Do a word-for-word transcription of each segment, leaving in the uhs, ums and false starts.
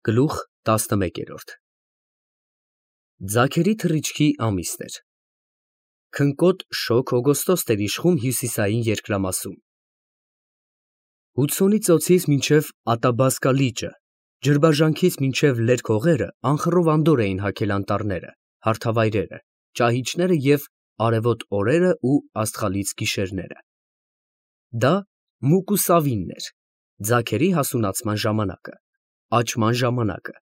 Գլուխ տասնմեկերորդ Ձագերի թռիչքի ամիսն էր։ Քնկոտ շոգ օգոստոսն էր իշխում հյուսիսային երկրամասում։ Հուդսոնի ծոցից մինչև Ատաբասկա լիճը, ջրբաժանքից մինչև լերկ հողերը անխռով անդորր էին հագել անտառները, հարթավայրերը, ճահիճները և արևոտ օրերը ու աստղալից գիշերները։ Դա Մուկուսավինն էր, ձագերի հասունացման ժամանակը, աճման ժամանակը,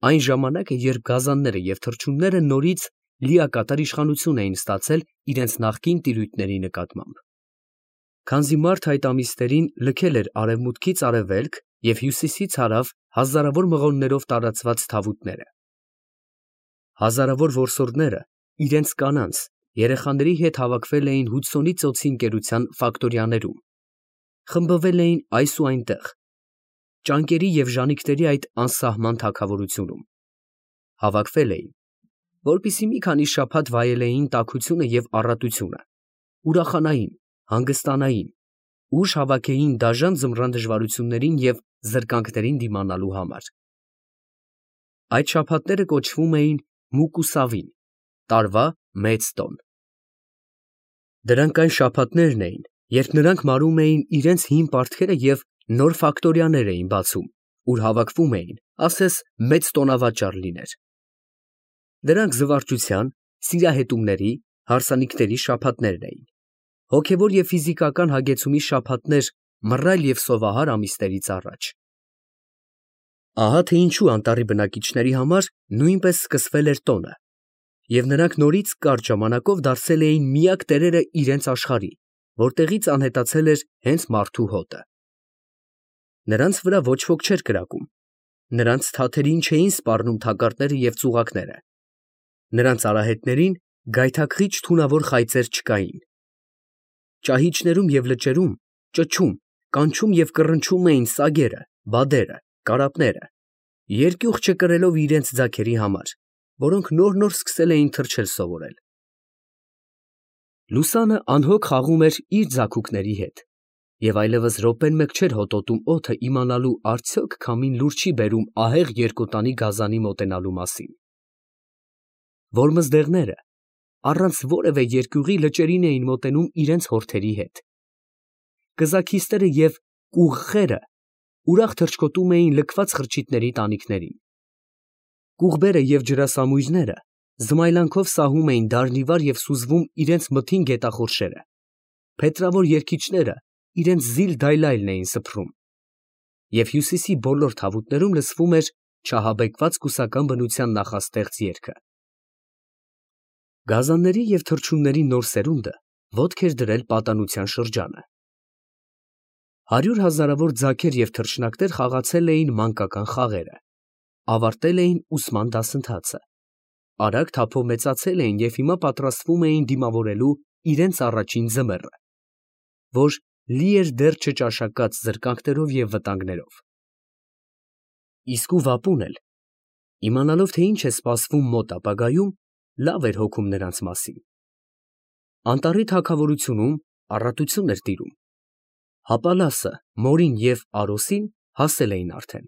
այն ժամանակը, երբ գազանները և թռչունները նորից լիակատար իշխանություն էին ստացել իրենց նախկին տիրույթների նկատմամբ։ Քանզի մարդը այդ ամիսներին լքել էր արևմուտքից արևելք և հյուսիսից հարավ հազարավոր մղոններով տարածված թավուտները։ Հազարավոր որսորդները իրենց կանանց, երեխաների հետ հավաքվել էին Հուդսոնի ծոցի ընկերության ֆակտորիաներում, խմբվել էին այս ու այնտեղ, ճանկերի և ժանիքների այդ անսահման թագավորությունում, հավաքվել էին, որպեսզի մի քանի շաբաթ վայելեին տաքությունը և առատությունը, ուրախանային, հանգստանային, ուժ հավաքեին դաժան ձմռան դժվարություններին և զրկանքներին դիմանալու համար։ Այդ շաբաթները կոչվում էին Մուկուսավին, տարվա մեծ տոն։ Դրանք այն շաբաթներն էին, երբ նրանք մարում էին իրենց հին պարտքերը և նոր ֆակտորիաներ էին բացում, ուր հավաքվում էին, ասես մեծ տոնավաճառ լիներ։ Դրանք զվարճության, սիրահետումների, հարսանիքների շաբաթներն էին, հոգևոր և ֆիզիկական հագեցումի շաբաթներ մռայլ և սովահար ամիսներից առաջ։ Ահա թե ինչու անտառի բնակիչների համար նույնպես սկսվել էր տոնը, և նրանք նորից կարճ ժամանակով դարձել էին միակ տերերը իրենց աշխարհի, որտեղից անհետացել էր հենց մարդու հոտը։ Նրանց վրա ոչ ոք չէր կրակում, նրանց թաթերին չէին սպառնում թակարդները և ծուղակները, նրանց արահետներին գայթակղիչ թունավոր խայծեր չկային։ Ճահիճներում և լճերում ճչում, կանչում և կռնչում էին սագերը, բադերը, կարապները, երկյուղ չկրելով իրենց ձագերի համար, որոնք նոր֊նոր սկսել էին թռչել սովորել։ Լուսանը անհոգ խաղում էր իր ձագուկների հետ, և այլևս րոպեն մեկ չէր հոտոտում օդը իմանալու արդյոք քամին լուր չի բերում ահեղ երկոտանի գազանի մոտենալու մասին։ Որմզդեղները առանց որևէ երկյուղի լճերին էին մոտենում իրենց հորթերի հետ։ Կզաքիստերը և կուղխերը ուրախ թռչկոտում էին լքված խրճիթների տանիքներին։ Կուղբերը և ջրասամույրները զմայլանքով սահում էին դառնիվար և սուզվում իրենց մթին գետախորշերը, փետրավոր երգիչները իրենց զիլ֊դայլայլն էին սփռում, և հյուսիսի բոլոր թավուտներում լսվում էր չահաբեկված կուսական բնության նախաստեղծ երգը։ Գազանների և թռչունների նոր սերունդը ոտք էր դրել պատանության շրջանը։ Հարյուր հազարավոր ձագեր և թռչնակներ խաղացել էին մանկական խաղերը, ավարտել էին ուսման դասընթացը, արագ թափով մեծացել էին և հիմա պատրաստվում էին դիմավորելու իրենց առաջին ձմեռը, որ լի էր դեռ չճաշակած զրկանքներով և վտանգներով։ Իսկու վապուն էլ, իմանալով, թե ինչ է սպասվում մոտ ապագայում, լավ էր հոգում նրանց մասին։ Անտառի թագավորությունում առատություն էր տիրում։ Հապալասը, Մորին և Արոսին հասել էին արդեն։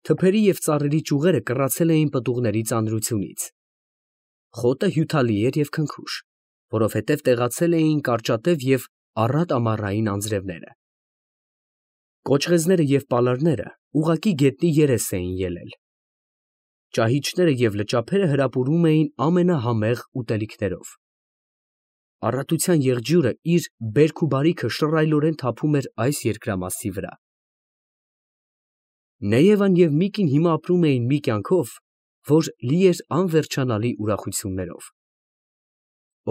Թփերի և ծառերի ճյուղերը կռացել էին պտուղների ծանրությունից։ Խոտը հյութալի էր և քնքուշ, որովհետև տեղացել էին կարճատև և առատ ամառային անձրևները։ Կոճղեզները և պալարները ուղղակի գետնի երես էին ելել։ Ճահիճները և լճափերը հրապուրում էին ամենահամեղ ուտելիքներով։ Առատության եղջյուրը իր բերք ու բարիքը շռայլորեն թափում էր այս երկրամասի վրա։ Նեևան և Միկին հիմա ապրում էին մի կյանքով, որ լի էր անվերջանալի ուրախություններով։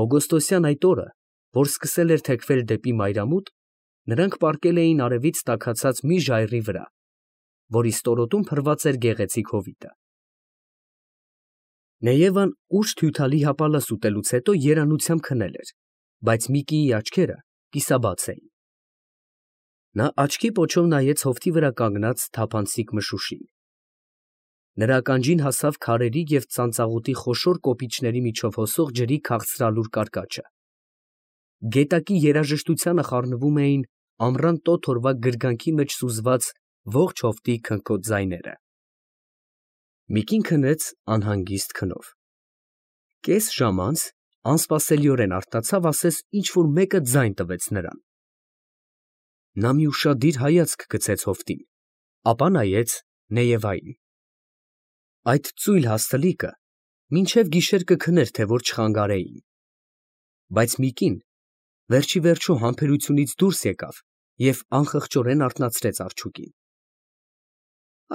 Օգոստոսյան այդ օրը, որ սկսել էր թեքվել դեպի մայրամուտ, նրանք պառկել էին արևից տաքացած մի ժայռի վրա, որի ստորոտում փռված էր գեղեցիկ հովիտը։ Նեևան ուշ հյութալի հապալաս ուտելուց հետո երանությամբ քնել էր, բայց Միկիի աչքերը կիսաբաց էին։ Նա աչքի պոչով նայեց հովտի վրա կանգնած թափանցիկ մշուշին։ Նրա ականջին հասավ քարերի և ծանծաղուտի խոշոր կոպիճների միջով հոսող ջրի քաղցրալուր կարկաչը։ Գետակի երաժշտությանը խառնվում էին ամռան տոթ օրվա գրգանքի մեջ սուզված ողջ հովտի քնքոտ ձայները։ Միկին քնեց անհանգիստ քնով։ Կես ժամ անց անսպասելիորեն արթնացավ, ասես ինչ֊որ մեկը ձայն տվեց նրան։ Նա մի ուշադիր հայացք գցեց հովտին, ապա նայեց Նեևային։ Այդ ծույլ հաստլիկը մինչև գիշեր կքներ, թե որ չխանգարեին։ Բայց Միկին վերջիվերջո համբերությունից դուրս եկավ և անխղճորեն արթնացրեց արջուկին։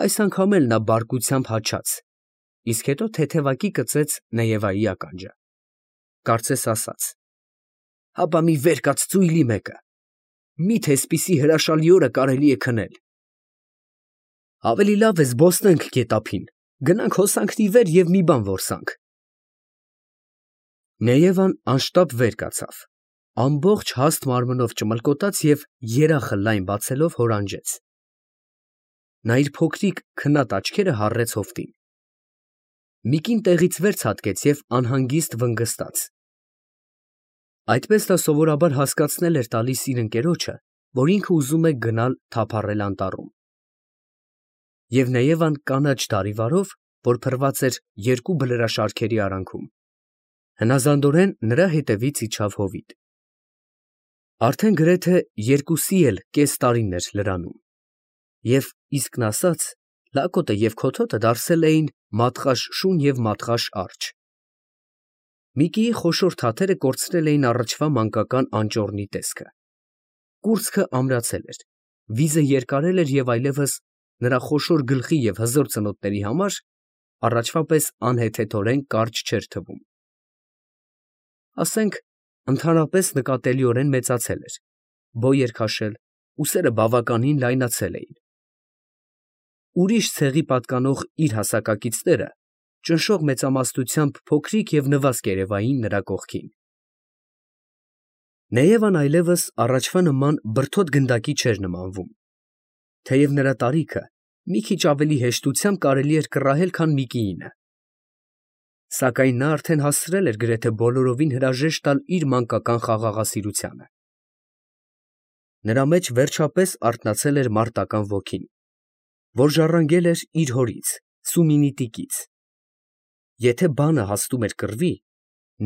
Այս անգամ էլ նա բարկությամբ հաչաց, իսկ հետո թեթևակի կծեց Նեևայի ականջը, կարծես ասաց. «Հապա մի վեր կաց ծույլի մեկը, մի՞թե էսպիսի հրաշալի օրը կարելի է քնել։ Ավելի լավ է զբոսնենք գետափին, գնանք հոսանքն ի վեր և մի բան որսանք»։ Նեևան անշտապ վեր կացավ, ամբողջ հաստ մարմնով ճմլկոտաց և երախը լայն բացելով հորանջեց։ Նա իր փոքրիկ քնած աչքերը հառեց հովտին։ Միկին տեղից վեր ցատկեց և անհանգիստ վնգստաց։ Այդպես նա սովորաբար հասկացնել էր տալիս իր ընկերոջը, որ ինքը ուզում է գնալ թափառել անտառում։ Եվ Նեևան կանաչ դարիվարով, որ փռված էր երկու բլրաշարքերի արանքում, հնազանդորեն նրա հետևից իջավ հովիտ։ Արդեն գրեթե երկուսի էլ կես տարին էր լրանում, և իսկն ասած, լակոտը և քոթոտը դարձել էին մատղաշ շուն և մատղաշ արջը։ Միկիի խոշոր թաթերը կորցրել էին առաջվա մանկական անճոռնի տեսքը։ Կուրծքը ամրացել էր, վիզը երկարել էր և այլևս նրա խոշոր գլխի և հզոր ծնոտների համար առաջվա պես անհեթեթորեն կարճ չէր թվում։ Ասենք ընդհանրապես նկատելիորեն մեծացել էր, բոյ էր քաշել, ուսերը բավականին լայնացել էին։ Ուրիշ ցեղի պատկանող իր հասակակիցները ճնշող մեծամասնությամբ փոքրիկ և նվազք երևային նրա կողքին։ Նեևան այլևս առաջվա նման բրդոտ գնդակի չէր նմանվում, թեև նրա տարիքը մի քիչ ավելի հեշտությամբ կարելի էր կռահել, քան Միկիինը։ Սակայն նա արդեն հասցրել էր գրեթե բոլորովին հրաժեշտ տալ իր մանկական խաղաղասիրությանը։ Նրա մեջ վերջապես արթնացել էր մարտական ոգին, որ ժառանգել էր իր հորից՝ Սումինի տիկից։ Եթե բանը հասնում էր կռվի,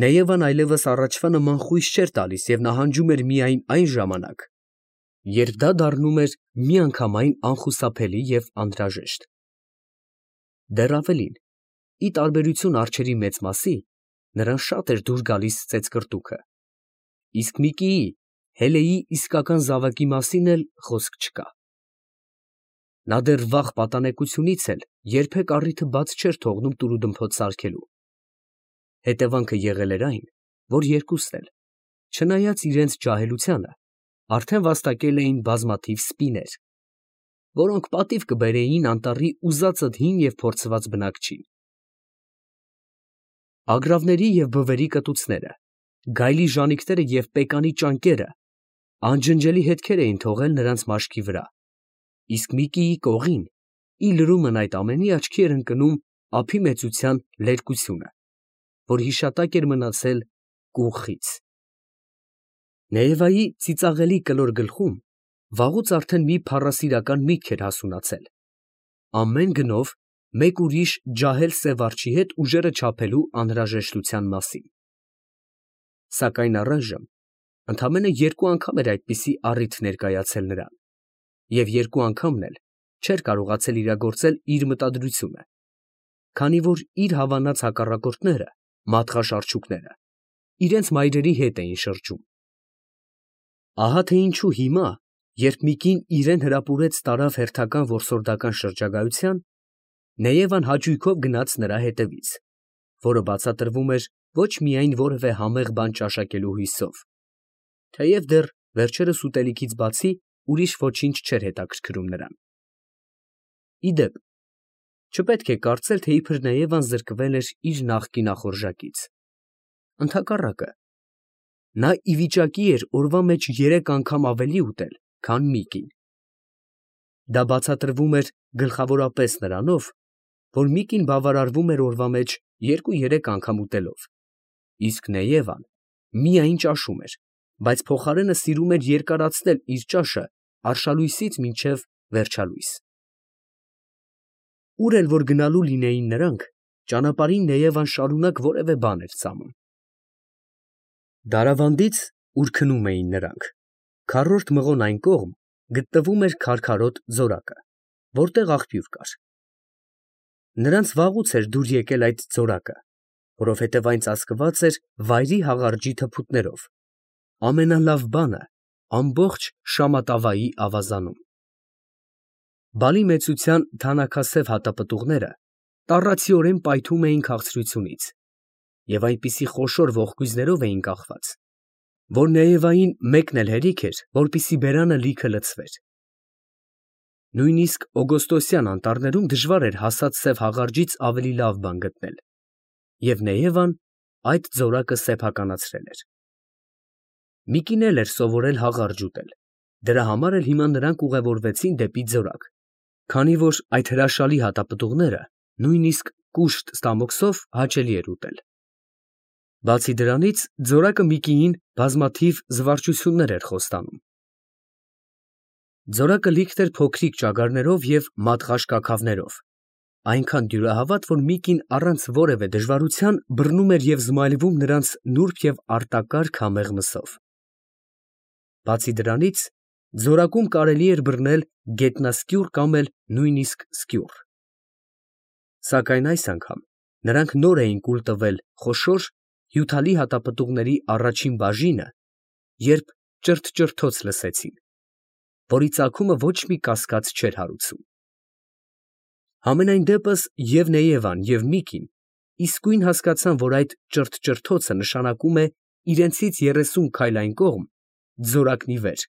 Նեևան այլևս առաջվա նման խույս չէր տալիս և նահանջում էր միայն այն ժամանակ, երբ դա դառնում էր միանգամայն անխուսափելի և անհրաժեշտ։ Դեռ ավելին, ի տարբերություն արջերի մեծ մասի, նրան շատ էր դուր գալիս ծեծկռտուքը, իսկ Միկիի, Հելեի իսկական զավակի մասին էլ խոսք չկա։ Նա դեռ վաղ պատանեկությունից էլ երբեք առիթը բաց չէր թողնում տուրուդմփոց սարքելու։ Հետևանքը եղել էր այն, որ երկուսն էլ, չնայած իրենց ջահելությանը, արդեն վաստակել էին բազմաթիվ սպիներ, որոնք պատիվ կբերեին անտառի ուզածդ հին և փորձված բնակչին։ Ագռավների և բվերի կտուցները, գայլի ժանիքները և պեկանի ճանկերը անջնջելի հետքեր էին թողել նրանց մաշկի վրա, իսկ Միկիի կողին, ի լրումն այդ ամենի, աչքի էր ընկնում ափի մեծության լերկությունը, որ հիշատակ էր մնացել կուղխից։ Նեևայի ծիծաղելի կլոր գլխում վաղուց արդեն մի փառասիրական միտք էր հասունացել, ամեն գնով մեկ ուրիշ ջահել սև արջի հետ ուժերը չափելու անհրաժեշտության մասին։ Սակայն առայժմ ընդամենը երկու անգամ էր այդպիսի առիթ ներկայացել նրան, և երկու անգամն էլ չէր կարողացել իրագործել իր մտադրությունը, քանի որ իր հավանած հակառակորդները, մատղաշ արջուկները, իրենց մայրերի հետ էին շրջում։ Ահա թե ինչու հիմա, երբ Միկին իրեն հրապուրեց տարավ հերթական որսորդական շրջագայության, Նեևան հաճույքով գնաց նրա հետևից, որը բացատրվում էր ոչ միայն որևէ համեղ բան ճաշակելու հույսով, թեև դեռ վերջերս ուտելիքից բացի ուրիշ ոչինչ չէր հետաքրքրում նրան։ Ի դեպ, չպետք է կարծել, թե իբր Նեևան զրկվել էր իր նախկին ախորժակից։ Ընդհակառակը, նա ի վիճակի էր օրվա մեջ երեք անգամ ավելի ուտել, քան Միկին։ Դա բացատրվում էր գլխավորապես նրանով, որ Միկին բավարարվում էր օրվա մեջ երկու֊երեք անգամ ուտելով, իսկ Նեևան միայն ճաշում էր, բայց փոխարենը սիրում էր երկարացնել իր ճաշը արշալույսից մինչև վերջալույս։ Ուր էլ որ գնալու լինեին նրանք, ճանապարհին Նեևան շարունակ որևէ բան էր ծամում։ Դարավանդից, ուր քնում էին նրանք, քառորդ մղոն այն կողմ գտնվում էր քարքարոտ ձորակը, որտեղ աղբյուր կար։ Նրանց վաղուց էր դուր եկել այդ ձորակը, որովհետև այն ծածկված էր վայրի հաղարջի թփուտներով, ամենալավ բանը ամբողջ Շամատավայի ավազանում։ Բալի մեծության թանաքասև հատապտուղները տառացիորեն պայթում էին քաղցրությունից և այնպիսի խոշոր ողկույզներով էին կախված, որ Նեևային մեկն էլ հերիք էր, որպեսզի բերանը լիքը լցվեր։ Նույնիսկ օգոստոսյան անտառներում դժվար էր հասած սև հաղարջից ավելի լավ բան գտնել, և Նեևան այդ ձորակը սեփականացրել էր։ Միկին էլ էր սովորել հաղարջ ուտել, դրա համար էլ հիմա նրանք ուղևորվեցին դեպի ձորակ, քանի որ այդ հրաշալի հատապտուղները նույնիսկ կուշտ ստամոքսով հաճելի էր ուտել։ Բացի դրանից, ձորակը Միկիին բազմաթիվ զվարճություններ էր խոստանում։ Ձորակը լիքն էր փոքրիկ ճագարներով և մատղաշ կաքավներով, այնքան դյուրահավատ, որ Միկին առանց որևէ դժվարության բռնում էր և զմայլվում նրանց նուրբ և արտակարգ համեղ մսով։ Բացի դրանից, ձորակում կարելի էր բռնել գետնասկյուռ կամ էլ նույնիսկ սկյուռ։ Սակայն այս անգամ նրանք նոր էին կուլ տվել խոշոր, հյութալի հատապտուղների առաջին բաժինը, երբ ճրթճրթոց լսեցին, որի ծագումը ոչ մի կասկած չէր հարուցում։ Համենայն դեպս և Նեևան, և Միկին իսկույն հասկացան, որ այդ ճրթճրթոցը նշանակում է իրենցից երեսուն քայլ այն կողմ, ձորակն ի վեր,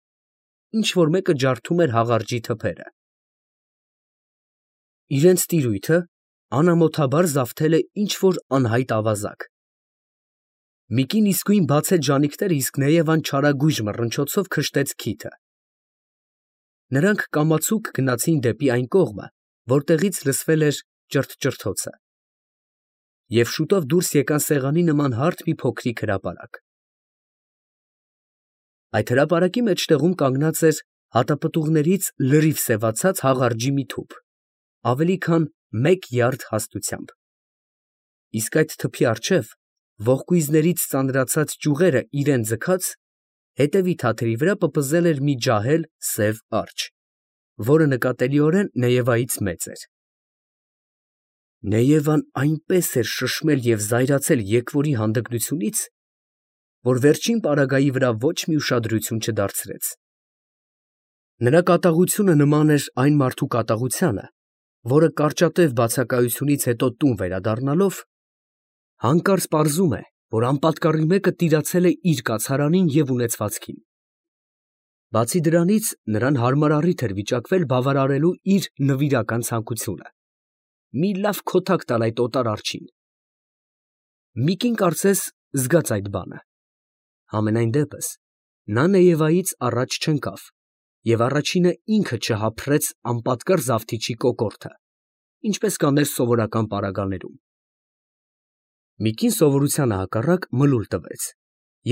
ինչ֊որ մեկը ջարդում էր հաղարջի թփերը։ Իրենց տիրույթը անամոթաբար զավթել է ինչ֊որ անհայտ ավազակ։ Միկին իսկույն բացեց ժանիքները, իսկ Նեևան չարագույժ մռնչոցով քշտեց քիթը։ Նրանք կամացուկ գնացին դեպի այն կողմը, որտեղից լսվել էր ճրթճրթոցը, և շուտով դուրս եկան սեղանի նման հարթ մի փոքրիկ հրապարակ։ Այդ հրապարակի մեջտեղում կանգնած էր հատապտուղներից լրիվ սևացած հաղարջի մի թուփ, ավելի քան մեկ յարդ հաստությամբ, իսկ այդ թփի առջև, ողկույզներից ծանրացած ճյուղերը իրան ձգած, հետևի թաթերի վրա պպզել էր մի ջահել սև արջը, որը նկատելիորեն Նեևայից մեծ էր։ Նեևան այնպես էր շշմել և զայրացել եկվորի հանդգնությունից, որ վերջին պարագայի վրա ոչ մի ուշադրություն չդարձրեց։ Նրա կատաղությունը նման էր այն մարդու կատաղությանը, որը կարճատև բացակայությունից հետո տուն վերադառնալով, հանկարծ պարզում է, որ անպատկառի մեկը տիրացել է իր կացարանին և ունեցվածքին։ Բացի դրանից, նրան հարմար առիթ էր վիճակվել բավարարելու իր նվիրական ցանկությունը՝ մի լավ քոթակ տալ այդ օտար արջին։ Միկին կարծես զգաց այդ բանը։ Համենայն դեպս, նա Նեևայից առաջ չընկավ և առաջինը ինքը չհափռեց անպատկառ զավթիչի կոկորդը, ինչպես կաներ սովորական պարագաներում։ Միկին սովորությանը հակառակ մլուլ տվեց,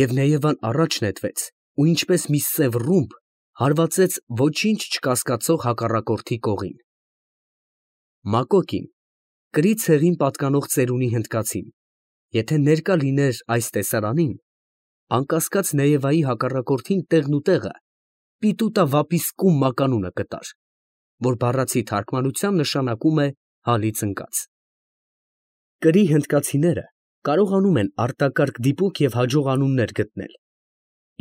և Նեևան առաջ նետվեց ու ինչպես մի սև ռումբ հարվածեց ոչինչ չկասկածող հակառակորդի կողին։ Մակոկին, կրի ցեղին պատկանող ծերունի հնդկացին, եթե ներկա լիներ այս տեսարանին, անկասկած Նեևայի հակառակորդին տեղն ու տեղը պիտուտա վապիսկում մականունը կտար, որ բառացի թարգմանությամբ նշանակում է հալից ընկած։ Կրի հնդկացիները կարողանում են արտակարգ դիպուկ և հաջող անուններ գտնել,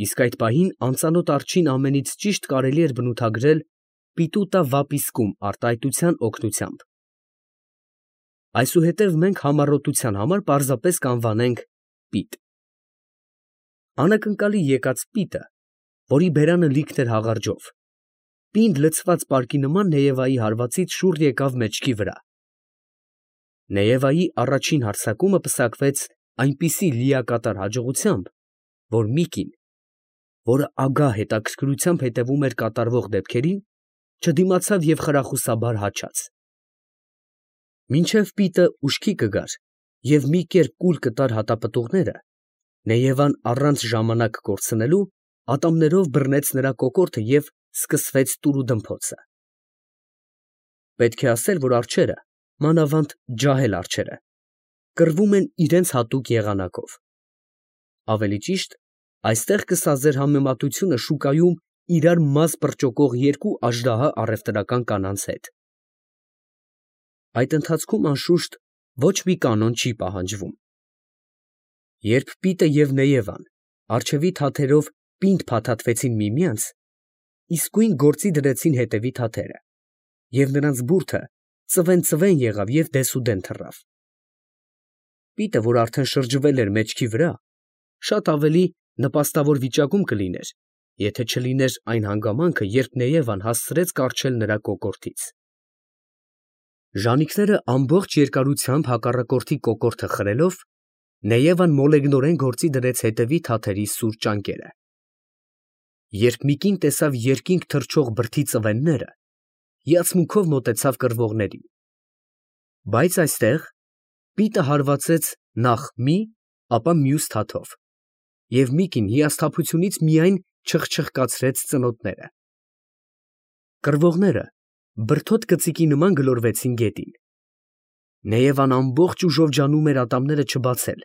իսկ այդ պահին անծանոթ արջին ամենից ճիշտ կարելի էր բնութագրել պիտուտա վապիսկում արտահայտության օգնությամբ։ Այսուհետև մենք համառոտության համար պարզապես կանվանենք պիտ։ Անակնկալի եկած պիտը, որի բերանը լիքն էր հաղարջով, պինդ լցված պարկի նման Նեևայի հարվածից շուռ եկավ մեջքի վրա։ Նեևայի առաջին հարձակումը պսակվեց այնպիսի լիակատար հաջողությամբ, որ Միկին, որը ագահ հետաքրքրությամբ հետևում էր կատարվող դեպքերին, չդիմացավ և խրախուսաբար հաչաց։ Մինչև պիտը ուշքի կգար և մի կերպ կուլ կտար հատապտուղները, Նեևան առանց ժամանակ կորցնելու ատամներով բռնեց նրա կոկորդը և սկսվեց տուրուդմփոցը։ Պետք է ասել, որ արջերը մանավանդ ջահել արջերը, կռվում են իրենց հատուկ եղանակով։ Ավելի ճիշտ, այստեղ կսազեր համեմատությունը շուկայում իրար մազ պրճոկող երկու աժդահա առևտրական կանանց հետ։ Այդ ընթացքում անշուշտ ոչ մի կանոն չի պահանջվում։ Երբ Պիտը և Նեևան առջևի թաթերով պինդ փաթաթվեցին միմյանց, իսկույն գործի դրեցին հետևի թաթերը, և նրանց բուրդը ծվեն֊ծվեն եղավ և դեսուդեն թռավ։ Պիտը, որ արդեն շրջվել էր մեջքի վրա, շատ ավելի նպաստավոր վիճակում կլիներ, եթե չլիներ այն հանգամանքը, երբ Նեևան հասցրեց կառչել նրա կոկորդից։ Ժանիքները ամբողջ երկարությամբ հակառակորդի կոկորդը խրելով, Նեևան մոլեգնորեն գործի դրեց հետևի թաթերի սուր ճանկերը։ Երբ մի կին տեսավ երկինք թռչող բրդի ծվենները, հիացմունքով մոտեցավ կռվողներին։ Բայց այստեղ Պիտը հարվածեց նախ մի, ապա մյուս թաթով, և Միկին հիասթափությունից միայն չխչխկացրեց ծնոտները։ Կռվողները բրդոտ կծիկի նման գլորվեցին գետին։ Նեևան ամբողջ ուժով ջանում էր ատամները չբացել,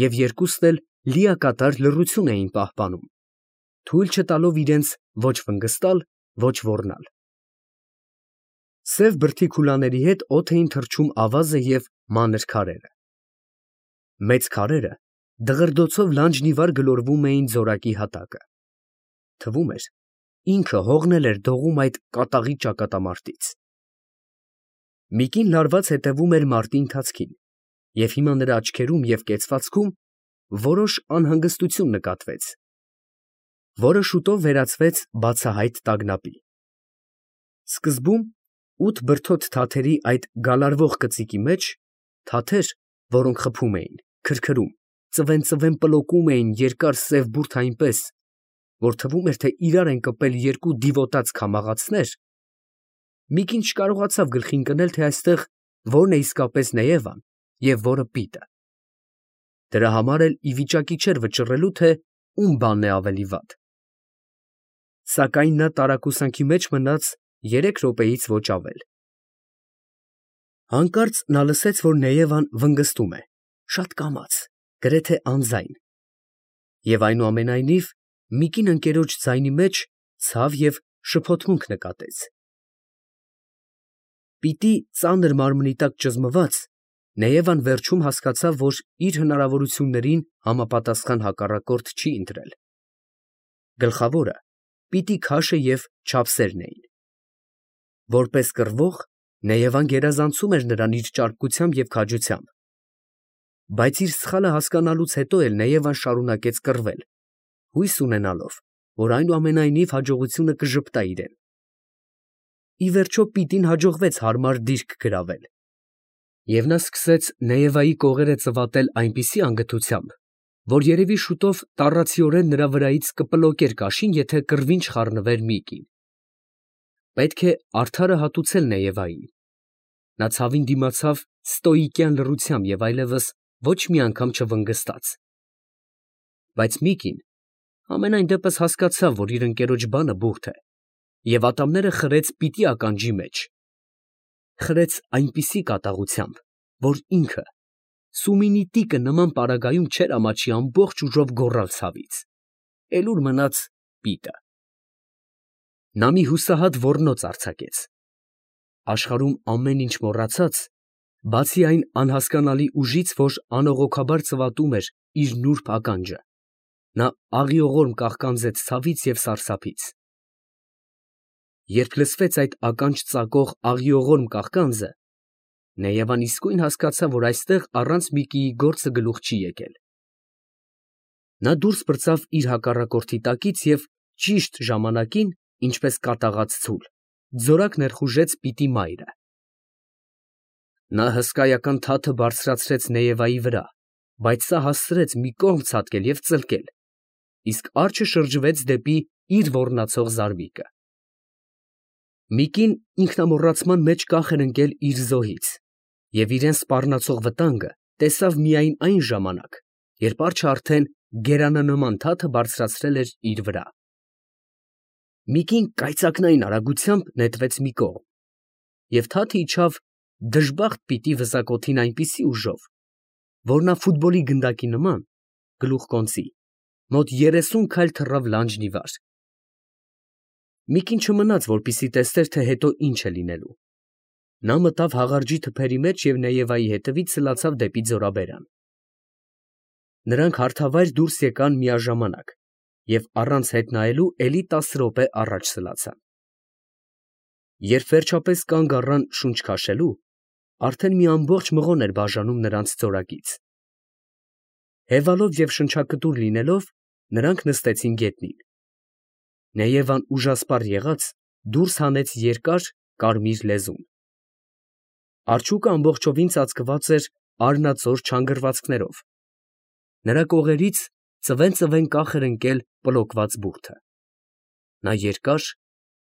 և երկուսն էլ լիակատար լռություն էին պահպանում, թույլ չտալով իրենց ոչ վնգստալ, ոչ ոռնալ։ Սև բրդի քուլաների հետ օդ էին թռչում ավազը և մանր քարերը։ Մեծ քարերը դղրդոցով լանջնիվար գլորվում էին ձորակի հատակը։ Թվում էր, ինքը հողն էր դողում այդ կատաղի ճակատամարտից։ Միկին լարված հետևում էր մարտի ընթացքին, և հիմա նրա աչքերում և կեցվածքում որոշ անհանգստություն նկատվեց, որը շուտով վերածվեց բացահայտ տագնապի։ Սկզբում ութ բրդոտ թաթերի այդ գալարվող կծիկի մեջ, թաթեր, որոնք խփում էին, քրքրում, ծվեն֊ծվեն պլոկում էին երկար սև բուրդ այնպես, որ թվում էր, թե իրար են կպել երկու դիվոտած քամաղացներ, Միկին չկարողացավ գլխի ընկնել, թե այստեղ որն է իսկապես Նեևան և որը Պիտը։ Դրա համար էլ ի վիճակի չէր վճռելու, թե ում բանն է ավելի վատ։ Սակայն նա տարակուսանքի մեջ մնաց երեք րոպեից ոչ ավել։ Հանկարծ նա լսեց, որ Նեևան վնգստում է, շատ կամաց, գրեթե անձայն, և այնուամենայնիվ Միկին ընկերոջ ձայնի մեջ ցավ և շփոթմունք նկատեց։ Պիտի ծանր մարմնի տակ ճզմված, Նեևան վերջում հասկացավ, որ իր հնարավորություններին համապատասխան հակառակորդ չի ընտրել։ Գլխավորը Պիտի քաշը և չափսերն էին։ Որպես կռվող, Նեևան գերազանցում էր նրան իր ճարպկությամբ և քաջությամբ։ Բայց իր սխալը հասկանալուց հետո էլ Նեևան շարունակեց կռվել, հույս ունենալով, որ այնուամենայնիվ հաջողությունը կժպտա իրեն։ Ի վերջո Պիտին հաջողվեց հարմար դիրք գրավել, և նա սկսեց Նեևայի կողերը ծվատել այնպիսի անգթությամբ, որ երևի շուտով տառացիորեն նրա վրայից կպլոկեր կաշին, եթե կռվին չխառնվեր Միկին։ Պետք է արդարը հատուցել Նեևային. նա ցավին դիմացավ ստոիկյան լռությամբ և այլևս ոչ մի անգամ չվնգստաց։ Բայց Միկին համենայն դեպս հասկացավ, որ իր ընկերոջ բանը բուրդ է, և ատամները խրեց Պիտի ականջի մեջ, խրեց այնպիսի կատաղությամբ, որ ինքը սումինի տիկը նման պարագայում չէր ամաչի ամբողջ ուժով գոռալ ցավից։ Էլ ուր մնաց Պիտը։ Նա մի հուսահատ ոռնոց արձակեց։ Աշխարհում ամեն ինչ մոռացած, բացի այն անհասկանալի ուժից, որ անողոքաբար ծվատում էր իր նուրբ ականջը, նա աղիողորմ կաղկանձեց ցավից և սարսափից։ Երբ լսվեց այդ ականջ ծակող աղիողորմ կաղկանձը, Նեևան իսկույն հասկացավ, որ այստեղ առանց Միկիի գործը գլուխ չի եկել։ Նա դուրս պրծավ իր հակառակորդի տակից և ճիշտ ժամանակին, ինչպես կատաղած ցուլ, ձորակ ներխուժեց Պիտի մայրը։ Նա հսկայական թաթը բարձրացրեց Նեևայի վրա, բայց սա հասցրեց մի կողմ ցատկել և ծլկել, իսկ արջը շրջվեց դեպի իր ոռնացող զարմիկը։ Միկին ինքնամոռացման մեջ կախ էր ընկել իր զոհից և իրան սպառնացող վտանգը տեսավ միայն այն ժամանակ, երբ արջը արդեն գերանանման թաթը բարձրացրել էր իր վրա։ Միկին կայծակնային արագությամբ նետվեց մի կողմ, և թաթը իջավ դժբախտ պիտի վզակոթին այնպիսի ուժով, որ նա ֆուտբոլի գնդակի նման գլուխկոնծի, մոտ երեսուն քայլ թռավ լանջն ի վար։ Մի կին չմնաց, որպեսզի տեսներ, թե հետո ինչ է լինելու։ Նա մտավ հաղարջի թփերի մեջ և Նեևայի հետևից սլացավ դեպի ձորաբերան։ Նրանք հարթավայր դուրս եկան միաժամանակ և առանց հետ նայելու էլի տասը րոպե առաջ սլացան։ Երբ վերջապես կանգ առան շունչ քաշելու, արդեն մի ամբողջ մղոն էր բաժանում նրանց ձորակից։ Հևալով և շնչակտուր լինելով, նրանք նստեցին գետնին։ Նեևան ուժասպառ եղած դուրս հանեց երկար, կարմիր լեզուն։ Արջուկը ամբողջովին ծածկված էր արնածոր չանգռվածքներով, նրա կողերից ծվեն֊ծվեն կախ էր ընկել պլոկված բուրդը։ Նա երկար,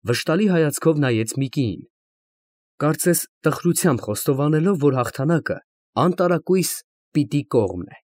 վշտալի հայացքով նայեց Միկիին, կարծես տխրությամբ խոստովանելով, որ հաղթանակը անտարակույս պիտի կողմն է։